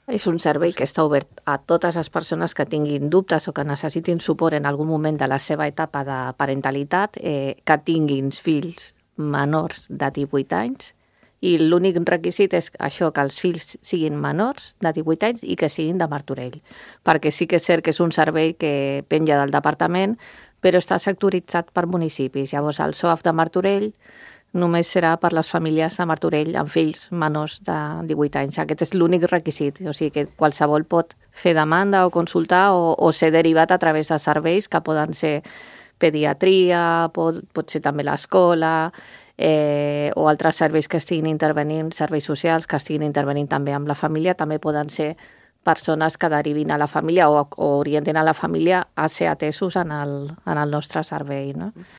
És un servei que està obert a totes les persones que tinguin dubtes o que necessitin suport en algun moment de la seva etapa de parentalitat, que tinguin fills menors de 18 anys, i l'únic requisit és això, que els fills siguin menors de 18 anys i que siguin de Martorell, perquè sí que és cert que és un servei que penja del departament, però està sectoritzat per municipis. Llavors, el SOAF de Martorell només serà per les famílies de Martorell amb fills menors de 18 anys. Aquest és l'únic requisit, o sigui que qualsevol pot fer demanda o consultar o ser derivat a través de serveis que poden ser pediatria, pot ser també l'escola, o altres serveis que estiguin intervenint, serveis socials que estiguin intervenint també amb la família, també poden ser persones que derivin a la família o orientin a la família a ser atesos en el nostre servei, no?